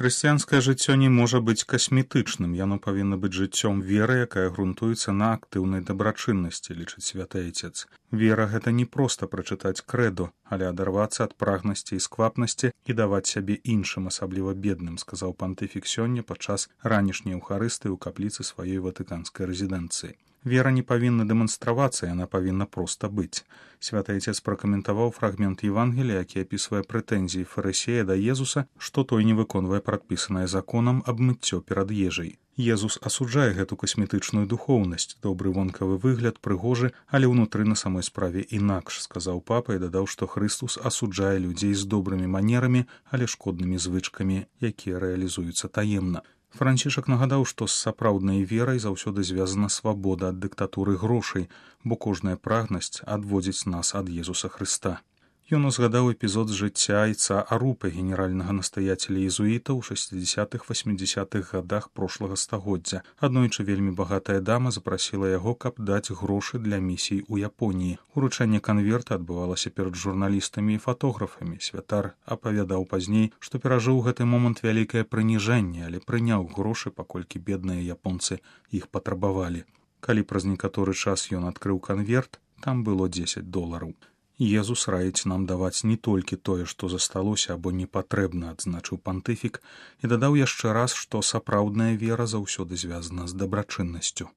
Хрысціянскае жыццё не можа быць касметычным, яно павінна быць жыццём веры, якая грунтуецца на актыўнай дабрачыннасці, лічыць святы айцец. Вера — гэта не проста прачытаць крэдо, але адарвацца ад прагнасці і сквапнасці і даваць сябе іншым, асабліва бедным, сказаў пантыфік сёння падчас ранішняй еўхарыстыі ў капліцы сваёй ватыканскай рэзідэнцыі. Вера не павінна дэманстравацца, яна павінна проста быць. Святы айцец пракаментаваў фрагмент Евангелія, які апісвае прэтэнзіі фарысея да Езуса, што той не выконвае прадпісанае законам аб мыццё перад ежай. Езус асуджае гэту касметычную духоўнасць, добры вонкавы выгляд, прыгожы, але ўнутры на самой справе інакш, сказаў папа і дадаў, што Хрыстус асуджае людзей з добрымі манерамі, але шкоднымі звычкамі, якія рэалізуюцца таемна. Францішак нагадаў, што з сапраўднай верай заўсёды звязана свабода ад дыктатуры грошай, бо кожная прагнасць адводзіць нас ад Езуса Хрыста. Ён узгадаў эпізод з жыцця айца Арупы, генеральнага настаяцеля езуітаў у 60-80-х гадах прошлага стагоддзя. Аднойчы вельмі багатая дама запрасіла яго, каб даць грошы для місій у Японіі. Уручэнне канверта адбывалася перад журналістамі і фатографамі. Святар апавядаў пазней, што перажыў гэты момант вялікае прыніжэнне, але прыняў грошы, паколькі бедныя японцы іх патрабавалі. Калі праз некаторы час ён адкрыў канверт, там было $10. Езус раіць нам даваць не толькі тое, што засталося або не патрэбна, адзначыў пантыфік і дадаў яшчэ раз, што сапраўдная вера заўсёды звязана з дабрачыннасцю.